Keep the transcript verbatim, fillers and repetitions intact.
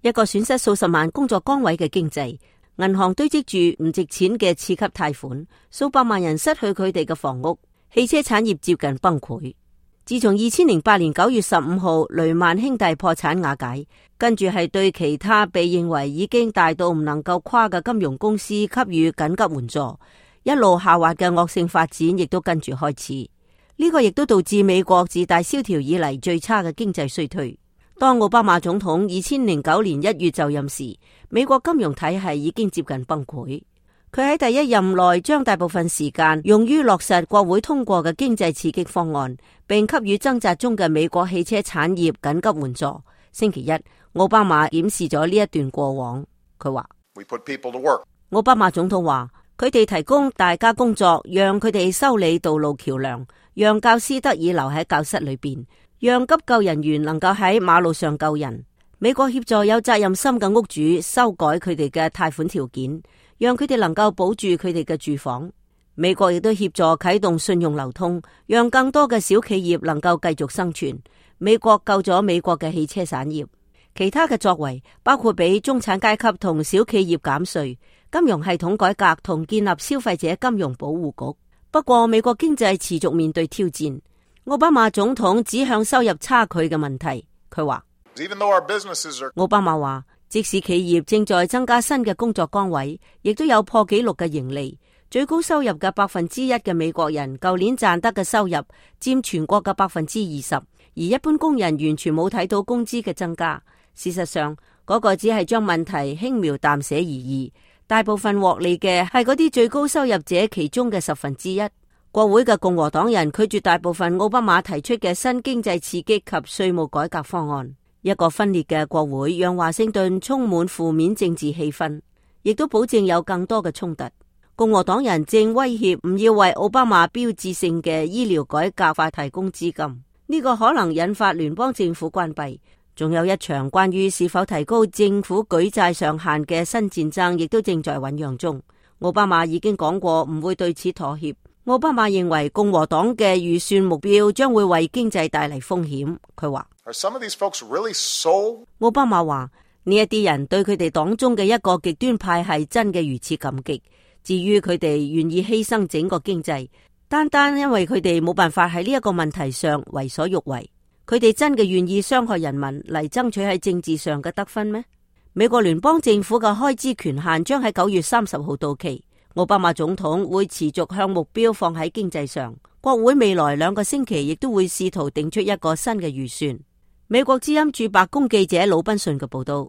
一個損失數十萬工作崗位嘅經濟，銀行堆積住唔值錢嘅次級貸款，數百萬人失去佢哋嘅房屋，汽車產業接近崩潰。自從二千零八年九月十五號雷曼兄弟破產瓦解，跟住係對其他被認為已經大到唔能夠跨嘅金融公司給予緊急援助，一路下滑嘅惡性發展亦都跟住開始。呢、這個亦都導致美國自大蕭條以嚟最差嘅經濟衰退。當奧巴馬總統二千零九年一月就任時，美國金融體系已經接近崩潰。佢喺第一任內將大部分時間用於落實國會通過嘅經濟刺激方案，並給予掙扎中嘅美國汽車產業緊急援助。星期一，奧巴馬檢視咗呢一段過往。佢話：奧巴馬總統話，佢哋提供大家工作，讓佢哋修理道路橋樑，讓教師得以留喺教室裏邊，讓急救人員能夠喺馬路上救人。美國協助有責任心嘅屋主修改佢哋嘅貸款條件，讓佢哋能夠保住佢哋嘅住房。美國亦都協助啟動信用流通，讓更多嘅小企業能夠繼續生存。美國救咗美國嘅汽車產業。其他嘅作為包括俾中產階級同小企業減稅、金融系統改革同建立消費者金融保護局。不過美國經濟持續面對挑戰。奧巴馬總統指向收入差距嘅問題，佢話：奧巴馬話，即使企業正在增加新嘅工作崗位，亦都有破紀錄嘅盈利。最高收入嘅百分之一嘅美國人，舊年賺得嘅收入佔全國嘅百分之二十，而一般工人完全冇睇到工資嘅增加。事實上，嗰、那個只係將問題輕描淡寫而已。大部分獲利嘅係嗰啲最高收入者其中嘅十分之一。國會嘅共和黨人拒絕大部分奧巴馬提出嘅新經濟刺激及稅務改革方案。一個分裂嘅國會讓華盛頓充滿負面政治氣氛，亦都保證有更多嘅衝突。共和黨人正威脅唔要為奧巴馬標誌性嘅醫療改革法提供資金，呢、這個可能引發聯邦政府關閉。仲有一場關於是否提高政府舉債上限嘅新戰爭，亦都正在醞釀中。奧巴馬已經講過唔會對此妥協。奧巴馬認為共和黨嘅預算目標將會為經濟帶嚟風險。佢話：really so? 奧巴馬話呢一啲人對佢哋黨中嘅一個極端派係真嘅如此感激。至於佢哋願意犧牲整個經濟，單單因為佢哋冇辦法喺呢一個問題上為所欲為。佢哋真嘅願意傷害人民嚟爭取喺政治上嘅得分咩？美國聯邦政府嘅開支權限將喺九月三十號到期。奧巴馬總統會持續向目標放喺經濟上。國會未來兩個星期亦都會試圖定出一個新嘅預算。美國之音駐白宮記者魯賓遜嘅報道。